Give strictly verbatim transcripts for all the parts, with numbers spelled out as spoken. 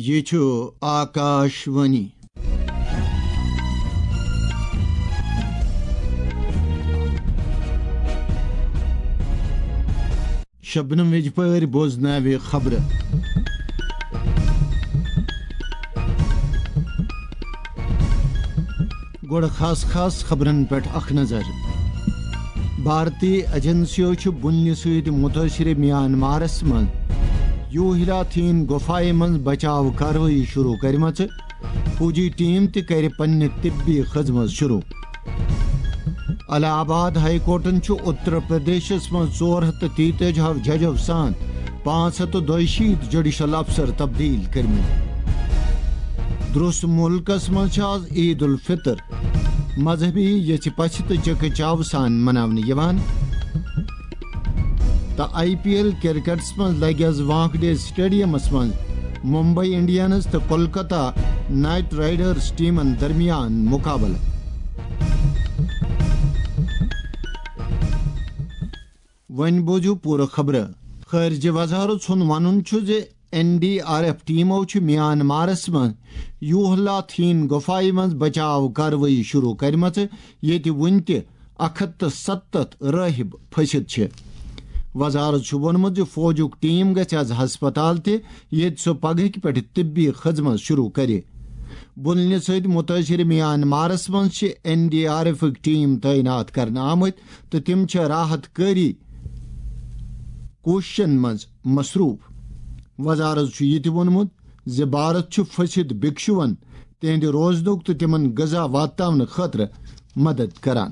یہِ چھُ آکاش وانی۔ شبنم ویجپٲرۍ بوزناوِ خبرٕ۔ گۄڈٕ خاص خاص خبرن پٮ۪ٹھ اکھ نظر۔ بھارتی ایجنسیو چھُ بُنلہِ سۭتۍ مُتٲثِرِ میانمارس منٛز یوہیلاتھین گُفایہِ منٛز بچاو کاروٲیی شروع کٔرمٕژ۔ فوجی ٹیم تہِ کرِ پننہِ طبی خدمت شروع۔ الہ آباد ہائی کورٹن چھُ اتر پردیشس منٛز ژور ہتھ تہٕ تیتٲجی ہو ججو سان پانٛژھ ہتھ تہٕ دۄیہِ شیٖتھ جوڈیشل افسر تبدیل کٔرمٕتۍ۔ درٛوس مُلکس منٛز چھِ آز عید الفطر۔ مذہبی یژھِ پژھِ تہٕ چکہ چاو سان مناونہٕ یِوان۔ تہٕ آئی پی ایل کرکٹس منٛز لگہِ آز وانکھڈے سٹیڈیمس منٛز ممبئی انڈینز تہٕ کولکتہ نائٹ رائیڈرز ٹیمن درمیان مقابلہٕ۔ وۄنۍ بوزِو پوٗرٕ خبرٕ۔ خارجہ وزارت سُنٛد وَنُن چھُ زِ این ڈی آر ایف ٹیمو چھِ میانمارس منٛز یوہلاتھین گُفایہِ منٛز بچاو کاروٲیی شروع کٔرمٕژ، ییٚتہِ وُنہِ تہِ اکھ ہتھ تہٕ ستتھ رٲہِب پھٔسِتھ چھِ۔ وزارت چھُ ووٚنمُت زِ فوجُک ٹیم گژھِ از ہسپتال تہِ، ییٚتہِ سُہ پگہٕکہِ پٮ۪ٹھٕ طبی خدمت شروع کرِ۔ بُنلہِ سۭتۍ مُتٲثِر میانمارس منٛز چھِ این ڈی آر ایفٕکۍ ٹیم تعینات کرنہٕ آمٕتۍ تہٕ تِم چھِ راحت کٲری کوٗششن منٛز مصروٗف۔ وزارت چھُ یہِ تہِ ووٚنمُت زِ بھارت چھُ پھٔسِتھ بھکشوَن تِہنٛدِ روزنُک تہٕ تِمن غذا واتناونہٕ خٲطرٕ مدد کران۔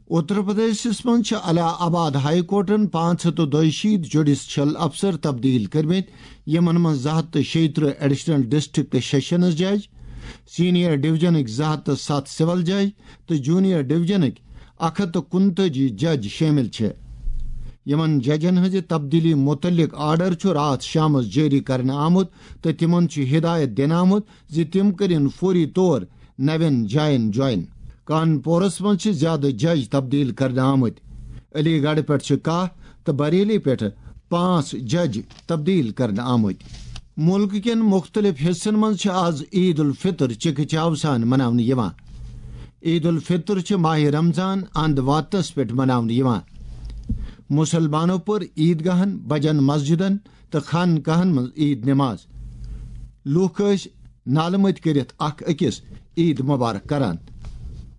اتر پردیشس منٛز چھِ الہ آباد ہائی کورٹن پانٛژھ ہتھ تہٕ دۄیہِ شیٖتھ جوڈیشل افسر تبدیل کٔرمٕتۍ، یِمن منٛز زٕ ہتھ تہٕ شیٚیہِ ترٕٛہ ایڈیشنل ڈسٹرکٹ سیشنز جج، سینئر ڈویژنٕکۍ زٕ ہتھ تہٕ ستھ سول جج تہٕ جونیئر ڈویژنٕکۍ اکھ ہتھ تہٕ کُنتٲجی جج شٲمِل چھِ۔ یِمَن ججَن ہٕنٛزِ تبدیٖلی مُتعلِق آرڈر چھُ راتھ شامَس جٲری کرنہٕ آمُت تہٕ تِمَن چھُ ہدایت دِنہٕ آمُت زِ تِم کٔرِن فوری طور نوٮ۪ن جاین جوائن۔ کانپورَس منٛز چھِ زیادٕ جج تبدیٖل کرنہٕ آمٕتۍ۔ علی گڑھ پٮ۪ٹھ چھِ کاہ تہٕ بریلی پٮ۪ٹھ پانٛژھ جج تبدیٖل کرنہٕ آمٕتۍ۔ مُلکہٕ کٮ۪ن مُختٔلِف حِصن منٛز چھِ آز عید الفطر چِکہٕ چاو سان مناونہٕ یِوان۔ عید الفطر چھِ ماہِ رمضان اند واتنس پٮ۪ٹھ مناونہٕ یِوان۔ مُسلمانو پٔر عیدگاہن، بجن مسجدن تہٕ خانقاہن منٛز عید نماز۔ لوٗکھ ٲسۍ نالہٕ مٔتۍ کٔرِتھ اکھ أکِس عید مبارک کران۔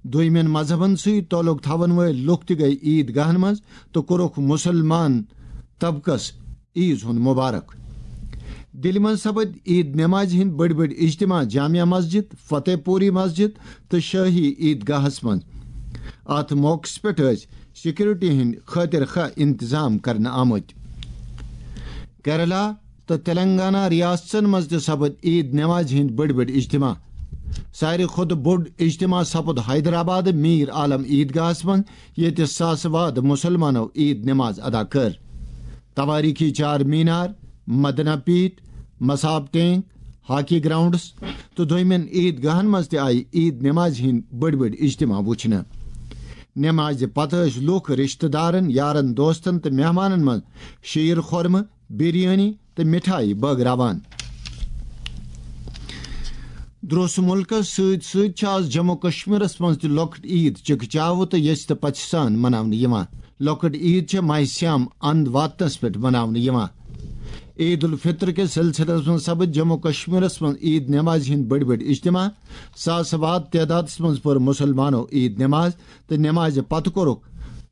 دوٚیمٮ۪ن مذہبن سۭتۍ تعلق تھاون وٲلۍ لوٗکھ تہِ گٔیہِ عیدگاہن منٛز تہٕ کوٚرُکھ مُسلمان طبقس عیز ہُنٛد مبارک۔ دِلہِ منٛز سپٕدۍ عید نمازِ ہٕنٛدۍ بٔڑۍ بٔڑۍ اجتماع جامع مسجد، فتح پوری مسجد تہٕ شٲہی عیدگاہس منٛز۔ اتھ موقعس پٮ۪ٹھ ٲسۍ سیکورٹی ہٕنٛدۍ خٲطرٕ خواہ انتظام کرنہٕ آمٕتۍ۔ کیرلا تہٕ تلنگانہ ریاستن منٛز تہِ سپٕدۍ عید نمازِ ہٕنٛدۍ بٔڑۍ بٔڑۍ اجتماع۔ ساروی کھۄتہٕ بوٚڑ اجتماع سپُد حیدرآباد میر عالم عیدگاہس منٛز، ییٚتہِ ساسہٕ واد مُسلمانو عید نماز ادا کٔر۔ توٲریٖخی چار مینار، مدنہ پیٖٹھ، مصاب ٹینک، ہاکی گراؤنڈس تہٕ دوٚیمٮ۪ن عیدگاہن منٛز تہِ آیہِ عید نمازِ ہٕنٛدۍ بٔڑۍ بٔڑۍ اجتماع وُچھنہٕ۔ نمازِ پتہٕ ٲسۍ لوٗکھ رشتہٕ دارن، یارن دوستن تہٕ مہمانن منٛز شیٖر خورمہٕ، بریانی تہٕ مِٹھایہِ بٲگراوان۔ درٛوس مُلکس سۭتۍ سۭتۍ چھِ آز جموں کشمیرس منٛز تہِ لۄکٕٹ عید چِکہٕ چاوٕ تہٕ یژھِ تہٕ پژھِ سان مناونہٕ یِوان۔ لۄکٕٹ عید چھےٚ ماہِ صیام اند واتنس پٮ۪ٹھ مناونہٕ یِوان۔ عید الفطر کِس سلسلس منٛز سپٕدۍ جموں کشمیرس منٛز عید نمازِ ہٕنٛدۍ بٔڑۍ بٔڑۍ اجتماع۔ ساسہٕ واد تعدادس منٛز پٔر مُسلمانو عید نماز تہٕ نمازِ پتہٕ کوٚرُکھ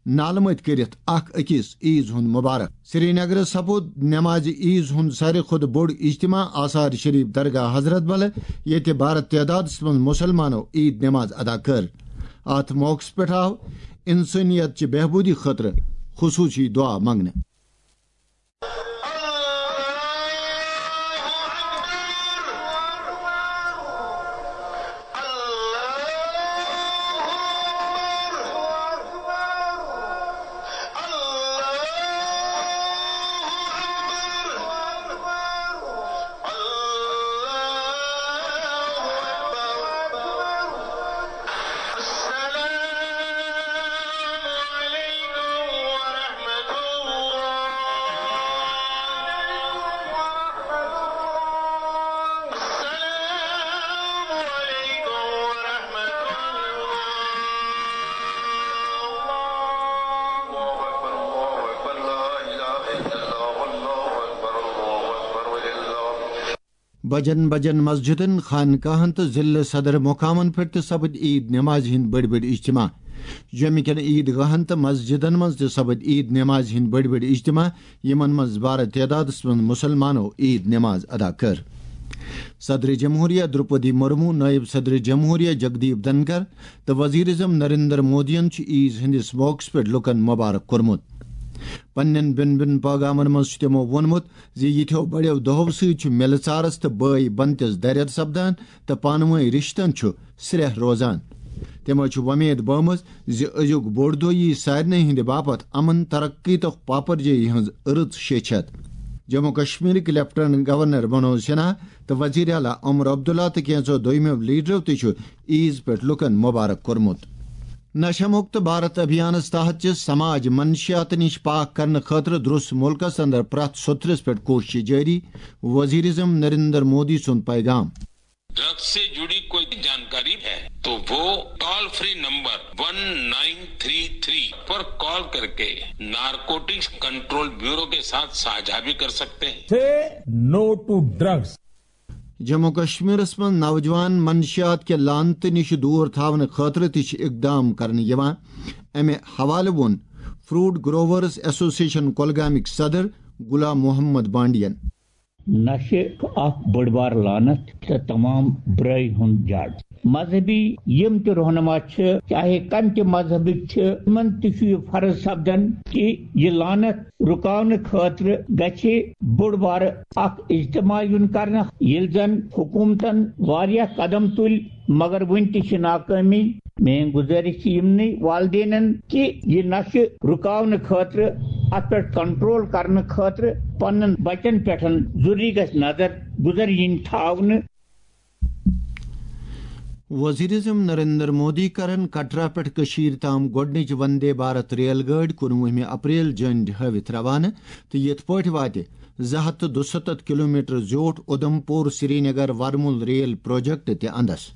نالہٕ مٔتۍ کٔرِتھ اکھ أکِس عیز ہُنٛد مبارک۔ سرینگرس سپُد نمازِ عیز ہُنٛد ساروی کھۄتہٕ بوٚڑ اجتماع آثار شریف درگاہ حضرت بل، ییٚتہِ بھارت تعدادس منٛز مُسلمانو عید نماز ادا کٔر۔ اتھ موقعس پٮ۪ٹھ آو انسٲنیت چہِ بہبوٗدی خٲطرٕ خصوٗصی دعا منٛگنہٕ۔ بجن بجن مسجدن، خانقاہن تہٕ ضلع صدر مقامن پٮ۪ٹھ تہِ سپٕدۍ عیٖد نمازِ ہٕنٛدۍ بٔڑۍ بٔڑۍ اجتماع۔ جوٚمہِ کٮ۪ن عیٖد گاہن تہٕ مسجدن منٛز تہِ سپٕدۍ عیٖد نمازِ ہٕنٛدۍ بٔڑۍ بٔڑۍ اجتماع، یِمن منٛز بارٕ تعدادس منٛز مُسلمانو عیٖد نماز ادا کٔر۔ صدر جمہوریہ درپدی مرمو، نائب صدر جمہوریہ جگدیپ دھنکر تہٕ وزیر اعظم نریندر مودیَن چھُ عیٖز ہٕنٛدِس موقعس پٮ۪ٹھ لوٗکَن مبارک کوٚرمُت۔ پننٮ۪ن بٮ۪ن بٮ۪ن پٲغامَن منٛز چھُ تِمو ووٚنمُت زِ یِتھیو بڑیو دۄہو سۭتۍ چھُ مِلہٕ ژارَس تہٕ بٲے بنتِس درد سپدان تہٕ پانہٕ وٲنۍ رِشتَن چھُ سرٛیٚہہ روزان۔ تِمو چھِ وۄمید بٲومٕژ زِ أزیُک بوٚڑ دۄہ یِیہِ سارنٕے ہٕنٛدِ باپتھ امن، ترقی تہٕ پاپرجٲیی ہٕنٛز رٕژ شیٚچھ ہٮ۪تھ۔ جموں کشمیرٕکۍ لیفٹیننٹ گورنر منوج سنہا تہٕ وزیر اعلیٰ عمر عبداللہ تہٕ کینٛژو دوٚیمیو لیڈرو تہِ چھُ عیٖز پٮ۪ٹھ لوٗکَن مبارک کوٚرمُت۔ نشہ مکت بھارت ابھیانس تحت چھِ سماج منشیات نِش پاک کرنہٕ خٲطرٕ درٛوس مُلکس اندر پرٛٮ۪تھ سوٚتھرِس پٮ۪ٹھ کوٗشش جٲری۔ وزیر اعظم نریندر مودی سُنٛد پیغام۔ ड्रग्स से जुड़ी कोई जानकारी है तो वो toll free number one nine three three पर कॉल करके नारकोटिक्स कंट्रोल ब्यूरो के साथ साझा भी कर सकते हैं। Say no to drugs. Jammu کشمیرس منٛز نوجوان منشیات کہِ لعنتہٕ نِش دوٗر تھاونہٕ خٲطرٕ تہِ چھِ اقدام کرنہٕ یِوان۔ امہِ حوالہٕ ووٚن فروٹ گروورز ایسوسیشن کۄلگامٕکۍ صدر غلام محمد بانڈین۔ نشہٕ چھُ اکھ بٔڑ بار لعنت تہٕ تمام برٲے ہُنٛد جڑ۔ مذہبی یِم تہِ رہنما چھِ، چاہے کمہِ تہِ مذہبٕکۍ چھِ، تِمن تہِ چھُ یہِ فرض سپدان کہِ یہِ لعنت رُکاونہٕ خٲطرٕ گژھِ بوٚڑ بارٕ اکھ اجتماع یُن کرنہٕ، ییٚلہِ زن حکومتن واریاہ قدم تُلۍ، مگر وُنہِ تہِ چھِ ناکٲمی۔ میٲنۍ گُزٲرِش چھِ یِمنٕے والدینن کہِ یہِ نشہٕ رُکاونہٕ خٲطرٕ، اتھ پٮ۪ٹھ کنٹرول کرنہٕ خٲطرٕ پننٮ۪ن بچن پٮ۪ٹھ ضروٗری گژھِ نظر گُزر یِنۍ تھاونہٕ۔ وزیر اعظم نریندر مودی کرن کٹرا پٮ۪ٹھ کٔشیٖر تام گۄڈٕنِچ وندے بھارت ریل گٲڑۍ کُنوُہمہِ اپریل جنڈِ ہٲوِتھ روانہٕ تہٕ یِتھ پٲٹھۍ واتہِ زٕ ہتھ تہٕ دُستتھ کلومیٹر زیوٗٹھ اُدھمپور سرینگر ورمُل ریل پروجیکٹ تہِ اندس۔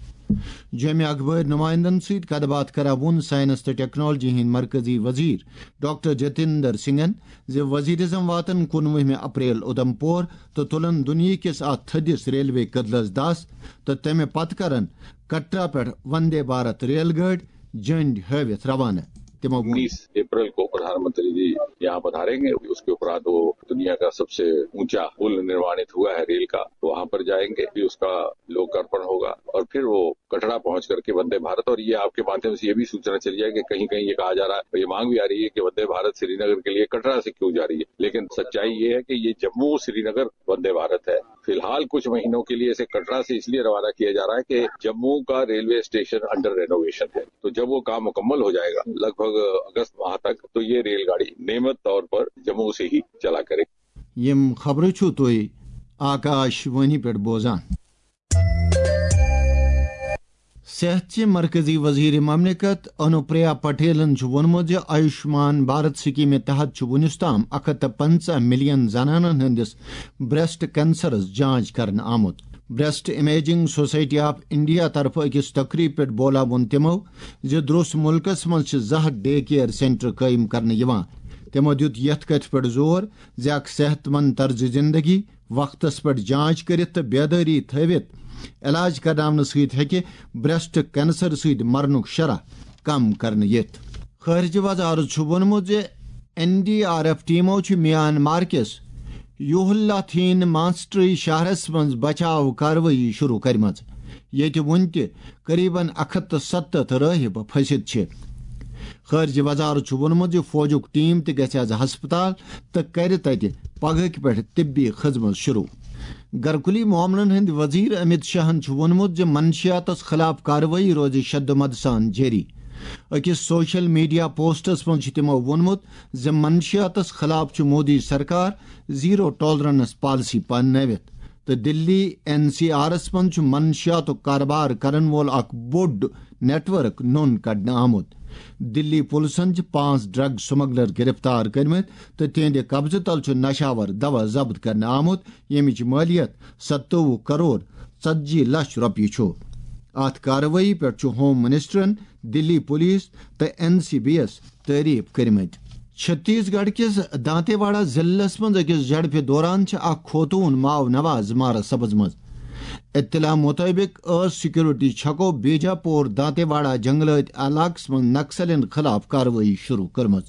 جوٚمہِ اخبٲرۍ نمائندن سۭتۍ کتھ باتھ کران ووٚن سائنس تہٕ ٹیکنالوجی ہٕنٛدۍ مرکزی وزیر ڈاکٹر جتیندر سنگھن زِ وزیر اعظم واتن کُنوُہمہِ اپریل اُدھمپور تہٕ تُلن دُنیہٕ کِس اتھ تھٔدِس ریلوے کٔدلس دس تہٕ تمہِ پتہٕ کرن کٹرا پٮ۪ٹھ وندے بھارت ریل گٲڑۍ جنڈ ہٲوِتھ روانہٕ۔ تِمو ووٚن۔ انیس اپریل کو پردھان منتری جی یہاں پدھاریں گے، اس کے اپرانت وہ دنیا کا سب سے اونچا پل نرमाणित हुआ है रेल का, तो वहां पर जाएंगे, फिर उसका लोकार्पण होगा और फिर वो कटरा पहुंच करके वंदे भारत, और ये आपके माध्यम से ये भी सूचना चली जाए कि कहीं कहीं ये कहा जा रहा है, ये मांग भी आ रही है कि वंदे भारत श्रीनगर के लिए कटरा से क्यों जा रही है, लेकिन सच्चाई ये है कि ये जम्मू श्रीनगर वंदे भारत है। फिलहाल कुछ महीनों के लिए इसे कटरा से इसलिए रवाना किया जा रहा है कि जम्मू का रेलवे स्टेशन अंडर रेनोवेशन है, तो जब वो काम मुकम्मल हो जाएगा लगभग अगस्त माह तक, तो ये रेलगाड़ी नियमित तौर पर जम्मू से ही चला करेगी। یِم خبرٕ چھِو تُہۍ آکاش وانی پٮ۪ٹھ بوزان۔ صحت چہِ مرکزی وزیر مملکت انوپریا پٹیلن چھُ ووٚنمُت زِ آیوشمان بھارت سکیمہِ تحت چھُ وُنیُس تام اکھ ہتھ تہٕ پنژاہ ملین زنانن ہٕنٛدِس بریسٹ کینسرس جانچ کرنہٕ آمُت۔ Breast imaging society of India طرفہٕ أکِس تقریب پٮ۪ٹھ بولا ووٚن تِمو زِ درٛوس مُلکس منٛز چھِ زٕ ہتھ ڈے کیئر سینٹر قٲیِم کرنہٕ یِوان۔ تِمو دیُت یتھ کتھِ پٮ۪ٹھ زور زِ اکھ صحت مند طرز زندگی، وقتس پٮ۪ٹھ جانچ کٔرِتھ تہٕ بیدٲری تھٲوِتھ علاج کرناونہٕ سۭتۍ ہیٚکہِ بریسٹ کینسر سۭتۍ مرنُک شرح کم کرنہٕ یِتھ۔ خارجہ وزارت چھُ ووٚنمُت زِ این ڈی آر ایف ٹیمو چھِ میانمار کِس یوہلاتھین مانسٹری شہرس منٛز بچاو کاروٲیی شروع کٔرمٕژ، ییٚتہِ وُنہِ تہِ قریباً اکھ ہتھ تہٕ ستتھ رٲہِب پھٔسِتھ چھِ۔ خارجہ وزارت چھُ ووٚنمُت زِ فوجُک ٹیم تہِ گژھِ از ہسپتال تہٕ کرِ تتہِ پگہٕکۍ پٮ۪ٹھ طبی خدمت شروع۔ گرکُلی معاملن ہٕنٛدۍ وزیر امیت شاہن چھُ ووٚنمُت زِ منشیاتس خلاف کاروٲیی روزِ شد و مد سان جٲری۔ أکِس سوشل میڈیا پوسٹس منٛز چھُ تِمو ووٚنمُت زِ منشیاتس خلاف چھُ مودی سرکار زیرو ٹالرنس پالیسی پننٲوِتھ تہٕ دِلی این سی آرس منٛز چھُ منشیاتُک کاربار کرن وول اکھ بوٚڑ نیٹ ورک نوٚن کڑنہٕ آمُت۔ دِلی پُلسن چھِ پانٛژھ ڈرگ سمگلر گرفتار کٔرمٕتۍ تہٕ تِہنٛدِ قبضہٕ تل چھُ نشاور دوا ضبط کرنہٕ آمُت، ییٚمِچ مٲلیت ستووُہ کرور ژتجی لچھ رۄپیہِ چھُ۔ اتھ کاروٲیی پٮ۪ٹھ چھُ ہوم منسٹرن دِلی پُلیٖس تہٕ این سی بی یس تعریف کٔرمٕتۍ۔ چھتیس گڑھ کِس دانتے واڑہ ضلعس منٛز أکِس جھڑپہِ دوران چھِ اکھ خوتوٗن ماو نواز مارس سپٕزمٕژ۔ اطلاع مطٲبق ٲس سیکورٹی چھکو بیجاپور دانتے واڑہ جنگلٲتۍ علاقس منٛز نکسلین خلاف کاروٲیی شروع کٔرمٕژ۔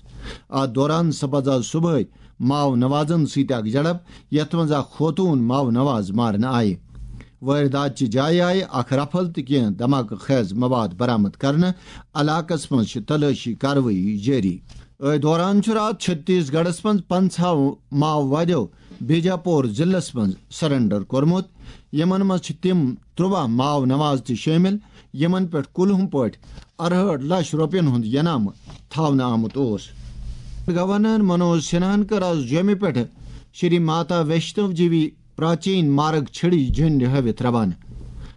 اتھ دوران سپز آز صبحٲے ماو نوازن سۭتۍ اکھ جھڑپ، یتھ منٛز اکھ خوتوٗن ماو نواز مارنہٕ آیہِ۔ وٲرۍدات چہِ جایہِ آیہِ اکھ رفل تہٕ کینٛہہ دھماکہٕ خیز مواد برآمد کرنہٕ۔ علاقس منٛز چھِ تلٲشی کاروٲیی جٲری۔ أتھۍ دوران چھُ راتھ چھتیس گڑھس منٛز پنٛژاہ ماووادیو بیجاپور ضلعس منٛز سرنڈر کوٚرمُت۔ یِمن منٛز چھِ تِم ترٛواہ ماو نواز تہِ شٲمِل، یِمن پٮ۪ٹھ کُلہُم پٲٹھۍ اَرہٲٹھ لچھ رۄپین ہُنٛد ینامہٕ تھاونہٕ آمُت اوس۔ گورنر منوج سنہاہن کٔر آز جوٚمہِ پٮ۪ٹھٕ شری ماتا ویشنو دیوی پراچین مارگ چھڑی جھنڈ ہٲوِتھ روانہٕ۔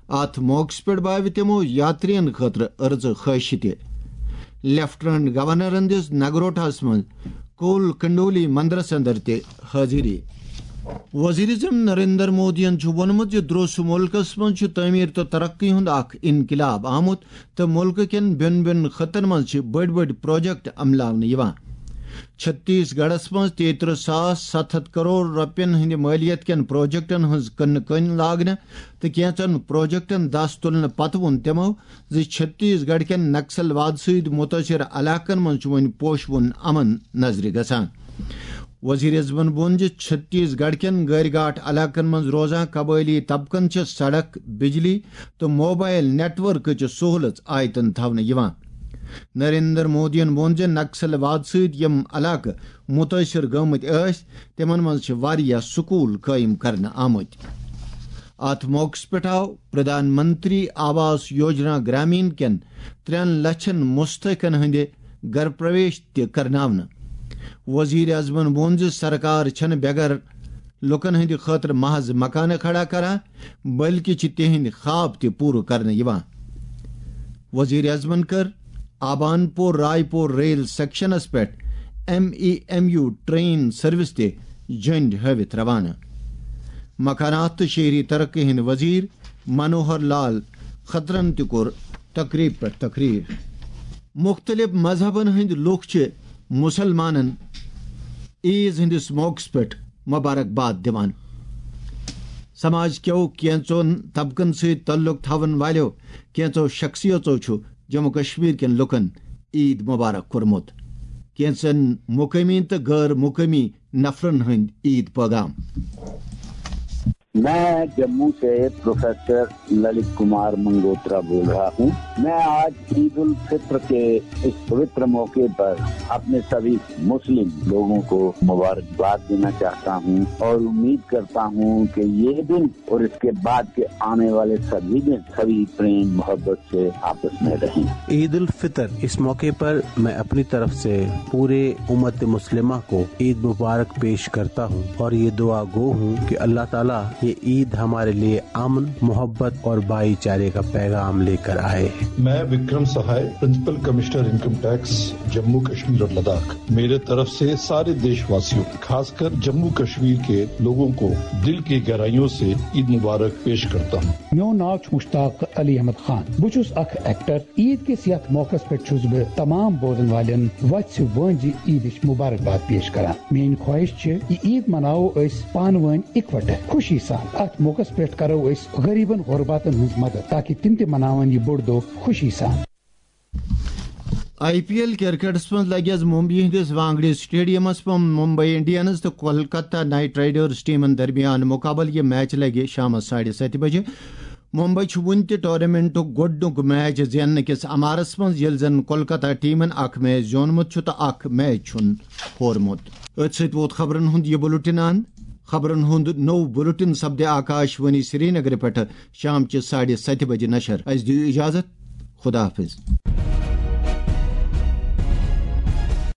اتھ موقعس پٮ۪ٹھ بٲوِ تِمو یاترین خٲطرٕ أرزٕ خٲہشہِ تہِ۔ لیفٹیننٹ گورنرن دِژ نگروٹاہس منٛز کول کنڈولی مندرس اندر تہِ حٲضری۔ وزیر اعظم نریندر مودیَن چھُ ووٚنمُت زِ درٛوس مُلکَس منٛز چھُ تعمیٖر تہٕ ترقی ہُنٛد اکھ انقلاب آمُت تہٕ مُلکہٕ کٮ۪ن بیوٚن بیوٚن خطن منٛز چھِ بٔڑۍ بٔڑۍ پروجیکٹ عملاونہٕ یِوان۔ چھتیس گڑھس منٛز تیترٕہ ساس ستھ ہتھ کرور رۄپین ہٕنٛدِ مٲلیت کٮ۪ن پروجیکٹن ہٕنٛز کٕنہٕ کٲنۍ لاگنہٕ تہٕ کینٛژن پروجیکٹن دس تُلنہٕ پتہٕ ووٚن تِمو زِ چھتیس گڑھ کٮ۪ن نکسل واد سۭتۍ مُتٲثر علاقن منٛز چھُ وۄنۍ پوشہٕ وُن امن نظرِ گژھان۔ وزیر اعظمن ووٚن زِ چھتیس گڑھ کٮ۪ن گٲرۍ گاٹھ علاقن منٛز روزان قبٲئلی طبقن چھِ سڑک، بجلی تہٕ موبائل نیٹ ورکٕچ سہولژ آیتن تھاونہٕ یِوان۔ نریندر مودیَن ووٚن زِ نکسل واد سۭتۍ یِم علاقہٕ مُتٲثر گٔمٕتۍ ٲسۍ، تِمن منٛز چھِ واریاہ سکوٗل قٲیِم کرنہٕ آمٕتۍ۔ اتھ موقعس پٮ۪ٹھ آو پردھان منتری آواس یوجنا گرامین کٮ۪ن ترٛٮ۪ن لچھن مستحقن ہٕنٛدِ گرٕ پرویش تہِ کرناونہٕ۔ وزیر اعظمن ووٚن زِ سرکار چھنہٕ بے گھر لوٗکن ہٕنٛدِ خٲطرٕ محض مکانہٕ کھڑا کران، بلکہِ چھِ تِہنٛدۍ خواب تہِ پوٗرٕ کرنہٕ یِوان۔ وزیر اعظمن کٔر آبان پور رائے پور ریل سیکشنس پٮ۪ٹھ M E M U train service تہِ جھنڈ ہٲوِتھ روانہٕ۔ مکانات تہٕ شہری ترقی ہٕنٛدۍ وزیر منوہر لال کھٹرن تہِ کوٚر تقریب پٮ۪ٹھ تقریر۔ مُختٔلِف مذہبن ہٕنٛدۍ لوٗکھ چھِ مُسلمانن عیٖد ہٕنٛدِس موقعس پٮ۪ٹھ مبارکباد دِوان۔ سماج کیو کینٛژن طبقن سۭتۍ تعلق تھاون والیو کینٛژو شخصیژو چھُ جموں کشمیر کٮ۪ن لوٗکن عیٖد مبارک کوٚرمُت۔ کینٛژن مقٲمی تہٕ غٲر مقٲمی نفرن ہٕنٛدۍ عیٖد پیغام۔ میں جموں سے پروفیسر للت کمار منگوترا بول رہا ہوں۔ میں آج عید الفطر کے اس پوتر موقع پر اپنے سبھی مسلم لوگوں کو مبارکباد دینا چاہتا ہوں اور امید کرتا ہوں کہ یہ دن اور اس کے بعد کے آنے والے سبھی دن سبھی پریم محبت سے آپس میں رہیں۔ عید الفطر، اس موقع پر میں اپنی طرف سے پورے امت مسلمہ کو عید مبارک پیش کرتا ہوں اور یہ دعا گو ہوں کہ اللہ تعالیٰ یہ عید ہمارے لیے امن، محبت اور بھائی چارے کا پیغام لے کر آئے۔ میں Vikram Sahay, principal commissioner income tax, Jammu Kashmir اور لداخ، میرے طرف سے سارے دیش واسیوں، خاص کر جموں کشمیر کے لوگوں کو دل کی گہرائیوں سے عید مبارک پیش کرتا ہوں۔ میون ناو چھُ مشتاق علی احمد خان۔ بہٕ چھُس اکھ ایکٹر۔ عید کِس یتھ موقعس پٮ۪ٹھ چھُس بہٕ تمام بوزن والٮ۪ن وژھِ وٲنٛجہِ عیدٕچ مبارکباد پیش کران۔ میٲنۍ خواہش چھِ، یہِ عید مناوو أسۍ پانہٕ وٲنۍ اِکوٹہٕ، خوشی سان۔ اتھ موقعس پٮ۪ٹھ کرو أسۍ غریبن غرباتن ہٕنٛز مدد، تاکہ تِم تہِ مناون یہِ بوٚڑ دۄہ خوشی سان۔ آئی پی ایل کرکٹس منٛز لگہِ آز ممبئی ہٕنٛدِس وانگڑے سٹیڈیمس منٛز ممبئی انڈینز تہٕ کولکتہ نائٹ رائیڈرز ٹیمن درمیان مقابلہٕ۔ یہِ میچ لگہِ شامس ساڑِ ستہِ بجہِ۔ ممبئی چھُ وُنہِ تہِ ٹورنامنٹُک گۄڈٕنیُک میچ زیننہٕ کِس امارس منٛز، ییٚلہِ زن کولکتہ ٹیمن اکھ میچ زیوٗنمُت چھُ تہٕ اکھ میچ چھُن ہورمُت۔ أتھۍ سۭتۍ ووت خبرن ہُنٛد یہِ بُلٹن اند۔ خبرن ہُنٛد نوٚو بُلٹن سپدِ آکاش وانی سرینگرٕ پٮ۪ٹھٕ شام چہِ ساڑِ ستہِ بجہِ نشر۔ اسہِ دِیِو اجازت۔ خدا حافظ۔